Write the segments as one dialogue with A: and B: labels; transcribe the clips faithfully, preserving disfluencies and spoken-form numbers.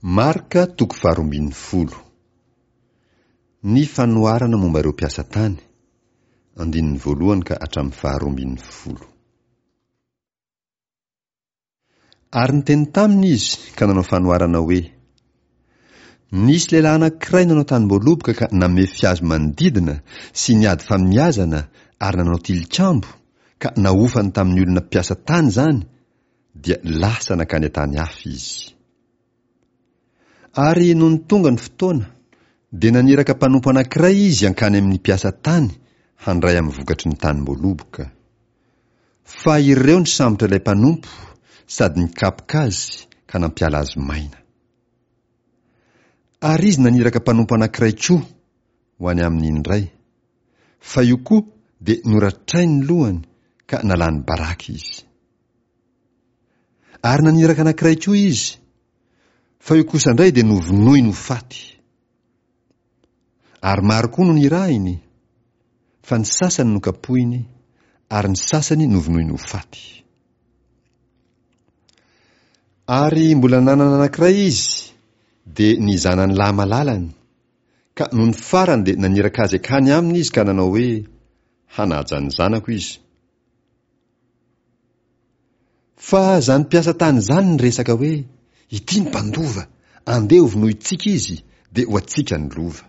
A: Marka toko faharoa ambin'ny folo. Ny fanoharana momba ireo mpiasa tany, andininy voalohany ka hatramin'ny faharoa ambin'ny folo. Ary niteny taminy izy ka nanao fanoharana hoe, Nisy lehilahy anankiray nanao tanim-boaloboka ka namefy hazo manodidina sy niady famiazana ary nanao tilikambo, ka nahofany tamin'ny olona mpiasa tany izany, dia lasa nankany an-tany hafa izy. Ary nony tonga ny fotoana, dia naniraka mpanompo anankiray izy hankany amin'ny mpiasa tany handray amin'ny vokatry ny tanim-boaloboka. Fa ireo nisambotra ilay mpanompo sady nikapoka azy ka nampiala azy maina. Ary izy naniraka mpanompo anankiray koa ho any aminy indray, fa io koa dia noratrainy ny lohany ka nalany baraka izy. Ary naniraka anankiray koa izy, fa io kosa indray dia novonoiny ho faty. Ary maro koa no nirahiny, fa ny sasany nokapohiny, ary ny sasany novonoiny ho faty. Ary mbola nanana anankiray izy, dia ny zanany lahy malalany, ka nony farany dia naniraka azy hankany aminy izy ka nanao hoe, Hanaja ny zanako izy. Fa izany mpiasa tany izany niresaka hoe, Ity ny mpandova, andeha hovonointsika izy, dia ho antsika ny lova.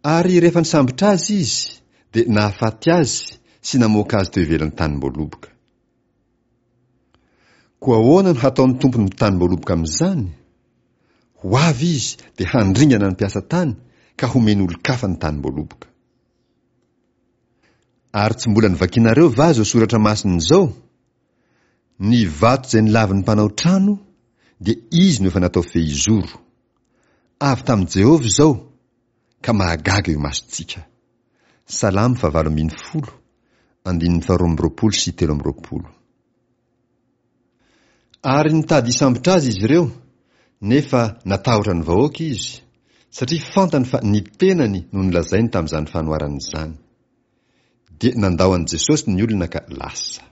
A: Ary rehefa nisambotra azy izy, dia nahafaty azy sy namoaka azy teo ivelan'ny tanim-boaloboka. Koa ahoana no hataon'ny tompon'ny tanim-boaloboka amin'izany? Ho avy izy dia handringana ny mpiasa tany ka homeny olon-kafa ny tanim-boaloboka. Ary tsy mbola novakinareo va izao soratra masina izao? Ny vato izay nolavin'ny mpanao trano, dia izy no efa natao fehizoro. Avy tamin'i Jehovah izao, ka mahagaga eo imasontsika. Salamo fahavalo ambin'ny folo, andininy faharoa amby roapolo sy telo amby roapolo. Ary nitady hisambotra azy izy ireo, nefa natahotra ny vahoaka izy, satria fantany fa ny tenany no nolazainy tamin'izany fanoharana izany. Dia nandao an'i Jesosy ny olona ka lasa.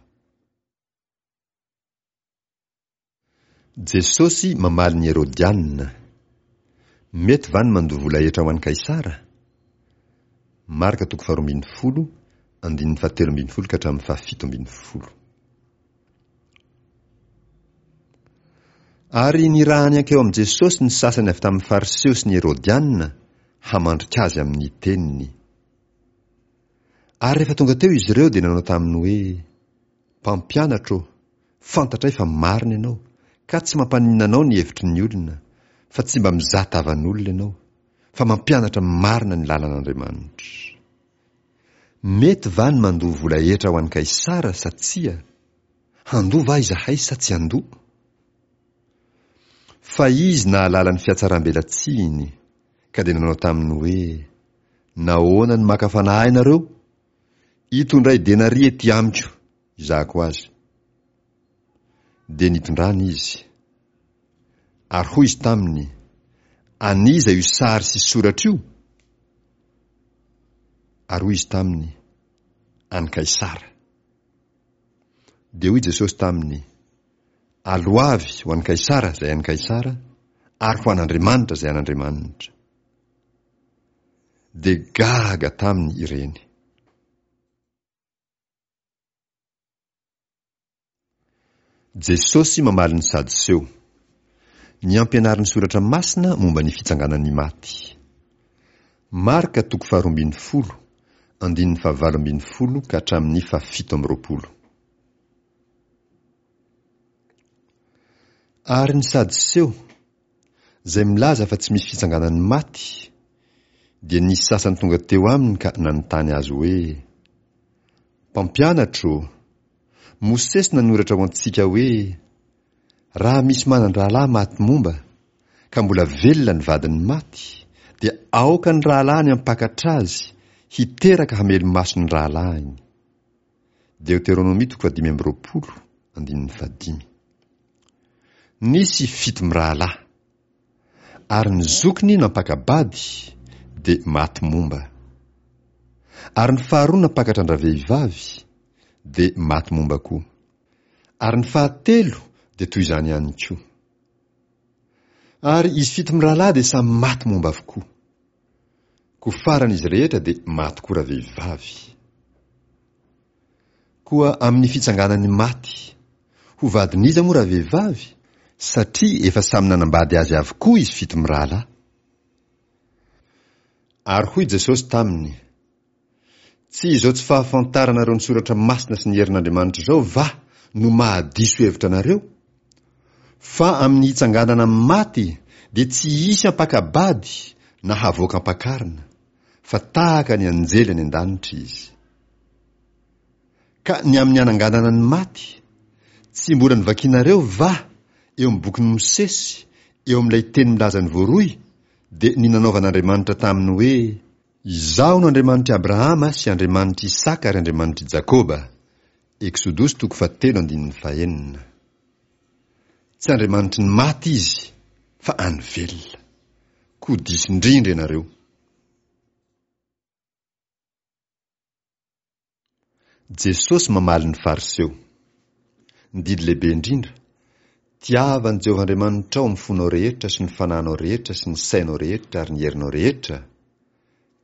A: Jesosy mamaly ny Herodiana. Mety va ny mandoa vola hetra ho an'i Kaisara? Marka toko faharoa ambin'ny folo, andininy fahatelo ambin'ny folo ka hatramin'ny fahafito ambin'ny folo. Ary nirahany hankeo amin'i Jesosy ny sasany avy tamin'ny Fariseo sy ny Herodiana hamandrika azy amin'ny teniny. Ary rehefa tonga teo izy ireo dia nanao taminy hoe, Mpampianatra ô, fantatray fa marina ianao, ka tsy mampaninona anao ny hevitry ny olona, fa tsy mba mizaha tavan'olona ianao, fa mampianatra marina ny lalan'Andriamanitra. Mety va ny mandoa vola hetra ho an'i Kaisara sa tsia? Handoa va izahay sa tsy handoa? Fa izy nahalala ny fihatsarambelatsihiny, ka dia nanao taminy hoe, Nahoana no maka fanahy ahy nareo? Itondray denaria ety amiko, hizahako azy. Dia nitondrany izy. Ary hoy izy taminy, An'iza io sary sy soratra io? Ary hoy izy taminy, An'i Kaisara. Dia hoy Jesosy taminy, Aloavy ho an'i Kaisara izay an'i Kaisara, ary ho an'Andriamanitra izay an'Andriamanitra. Dia gaga taminy ireny. Jesosy mamaly ny Sadoseo. Ny ampianarin'ny Soratra Masina momba ny fitsanganan'ny maty. Marka toko faharoa ambin'ny folo, andininy fahavalo ambin'ny folo ka hatramin'ny fahafito amby roapolo. Ary ny Sadoseo, izay milaza fa tsy misy fitsanganan'ny maty, dia nisy sasany tonga teo aminy ka nanontany azy hoe, Mpampianatra ô, Mosesy nanoratra ho antsika hoe, Raha misy manan-drahalahy maty momba, ka mbola velona ny vadiny maty, dia aoka ny rahalahiny hampakatra azy, hiteraka hamelo-maso ny rahalahiny. Deoteronomia toko fahadimy amby roapolo, andininy fahadimy. Nisy fito mirahalahy. Ary ny zokiny nampaka-bady, dia maty momba. Ary ny faharoa nampakatra an-dravehivavy, dia maty momba koa. Ary ny fahatelo dia toy izany ihany koa. Ary izy fito mirahalahy dia samy maty momba avokoa. Koa farany izy rehetra dia maty koa ravehivavy. Koa amin'ny fitsanganan'ny maty, ho vadin'iza moa ravehivavy? Satria efa samy nanambady azy avokoa izy fito mirahalahy. Ary hoy Jesosy taminy, Tsy izao tsy fahafantaranareo ny Soratra Masina sy ny herin'Andriamanitra izao va no mahadiso hevitra anareo? Fa amin'ny hitsanganana amin'ny maty dia tsy hisy hampaka-bady na havoaka am-pakarina, fa tahaka ny anjely any an-danitra izy. Ka ny amin'ny hananganana ny maty, tsy mbola novakinareo va eo amin'ny bokin'i Mosesy, eo amin'ilay teny milaza ny voaroy, dia ny nanaovan'Andriamanitra taminy hoe, Izaho no Andriamanitr'i Abrahama sy Andriamanitr'i Isaka ary Andriamanitr'i Jakoba. Eksodosy toko fahatelo andininy fahenina. Tsy Andriamanitry ny maty Izy, fa an'ny velona. Koa diso indrindra ianareo. Jesosy mamaly ny Fariseo. Ny didy lehibe indrindra, Tiava an'i Jehovah Andriamanitrao amin'ny fonao rehetra sy ny fanahinao rehetra sy ny sainao rehetra ary ny herinao rehetra,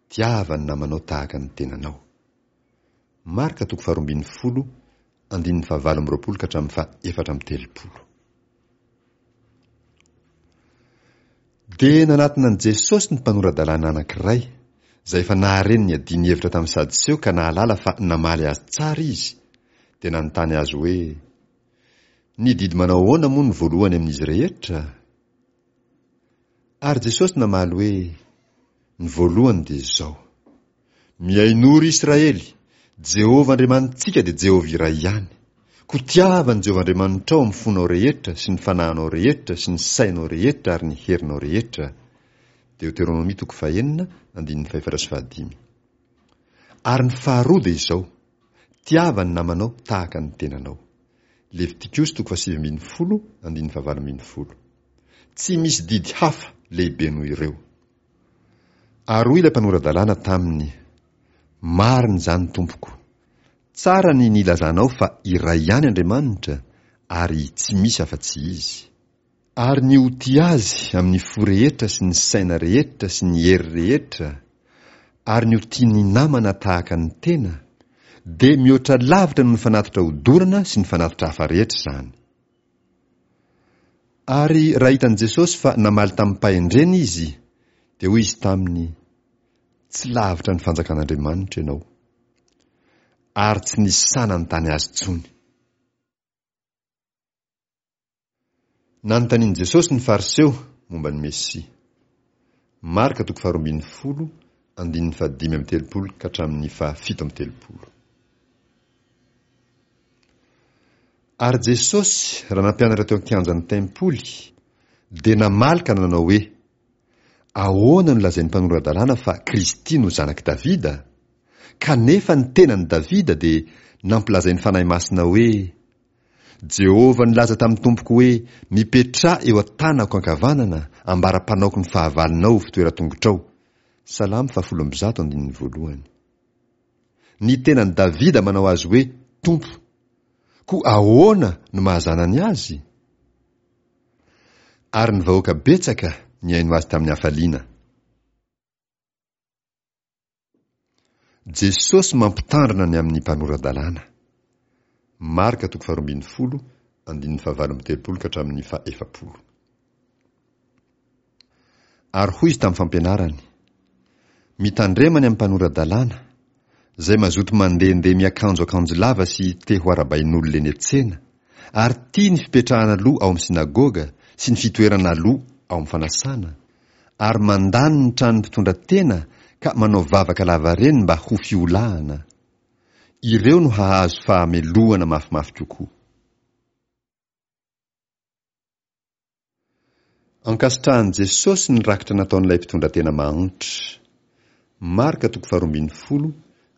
A: tiava ny namanao tahaka ny tenanao. Marka toko faharoa ambin'ny folo, andininy fahavalo amby roapolo ka hatramin'ny faha efatra amby telopolo. Dia nanatona an'i Jesosy ny mpanora-dalàna anankiray, izay efa nahare ny niadiany hevitra tamin'ny Sadoseo ka nahalala fa namaly azy tsara izy, dia nanontany azy hoe, Ny didy manao ahoana moa no voalohany amin'izy rehetra? Ary Jesosy namaly hoe, Ny voalohany dia izao, Mihainoa, ry Israely, Jehovah Andriamanitsika dia Jehovah iray ihany. Koa tiava an'i Jehovah Andriamanitrao amin'ny fonao rehetra sy ny fanahinao rehetra sy ny sainao rehetra ary ny herinao rehetra. Deoteronomia toko fahenina, andininy fahefatra sy fahadimy. Ary ny faharoa dia izao, Tiava ny namanao tahaka ny tenanao. Levitikosy toko fahasivy ambin'ny folo, andininy fahavalo ambin'ny folo. Tsy misy didy hafa lehibe noho ireo. Ary hoy ilay mpanora-dalàna taminy, Marina izany, Tompoko. Tsara ny nilazanao fa iray ihany Andriamanitra ary tsy misy afa-tsy Izy. Ary ny ho tia Azy amin'ny fo rehetra sy ny saina rehetra sy ny hery rehetra, ary ny ho tia ny namana tahaka ny tena, dia mihoatra lavitra noho ny fanatitra hodorana sy ny fanatitra hafa rehetra izany. Ary raha hitan'i Jesosy fa namaly tamim-pahendrena izy, dia hoy Izy taminy, Tsy lavitra ny fanjakan'Andriamanitra ianao. Ary tsy nisy sahy nanontany azy intsony. Nanontanian'i Jesosy ny Fariseo momba ny Mesia. Marka toko faharoa ambin'ny folo, andininy fahadimy amby telopolo ka hatramin'ny fahafito amby telopolo. Ary Jesosy, raha nampianatra teo an-kianjan'ny tempoly, dia namaly ka nanao hoe, Ahoana no lazain'ny mpanora-dalàna fa Kristy no zanak'i Davida? Kanefa ny tenan'i Davida dia nampilazain'ny Fanahy Masina hoe, Jehovah nilaza tamin'ny Tompoko hoe, Mipetraha eo an-tanako ankavanana, ambara-panaoko ny fahavalonao ho fitoeran-tongotrao. Salamo fahafolo amby zato andininy voalohany. Ny tenan'i Davida manao azy hoe Tompo. Koa ahoana no maha-zanany azy? Ary ny vahoaka betsaka nihaino azy tamin'ny hafaliana. Jesosy mampitandrina ny amin'ny mpanora-dalàna. Marka toko faharoa ambin'ny folo, andininy fahavalo amby telopolo ka hatramin'ny fahefapolo. Ary hoy izy tamin'ny fampianarany, Mitandrema ny amin'ny mpanora-dalàna, izay mazoto mandehandeha miakanjo akanjo lava sy te ho arabain'olona eny an-tsena, ary tia ny fipetrahana aloha ao amin'ny synagoga sy ny fitoerana aloha ao amin'ny fanasana, ary mandany ny tranon'ny mpitondra tena ka manao vavaka lavareny mba ho fiolahana. Ireo no hahazo fahamelohana mafimafy kokoa. Ankasitrahan'i Jesosy ny rakitra nataon'ilay mpitondra tena mahantra. Marka toko faharoa ambin'ny folo,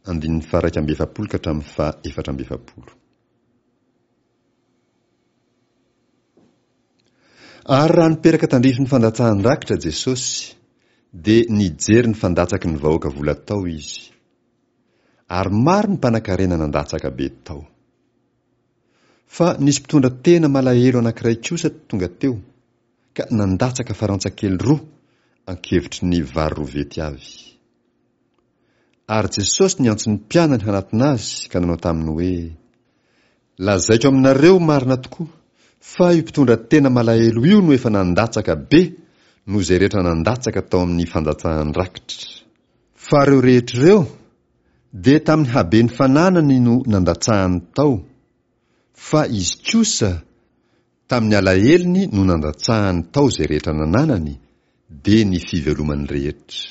A: andininy faha-iraika amby efapolo ka hatramin'ny faha-efatra amby efapolo. Ary raha niperaka tandrifin'ny fandatsahan-drakitra Jesosy, dia nijery ny fandatsaky ny vahoaka vola tao Izy. Ary maro ny mpanankarena nandatsaka be tao. Fa nisy mpitondra tena malahelo anankiray kosa tonga teo, ka nandatsaka farantsa kely roa ankevitry ny vary rovety avy. Ary Jesosy niantso ny mpianany hanatona azy ka nanao taminy hoe, Lazaiko aminareo marina tokoa fa io mpitondra tena malahelo io no efa nandatsaka be noho izay rehetra nandatsaka tao amin'ny fandatsahan-drakitra. Fa ireo rehetra ireo dia tamin'ny haben'ny fananany no nandatsahany tao, fa izy kosa tamin'ny alahelony no nandatsahany tao izay rehetra nananany, dia ny fivelomany rehetra.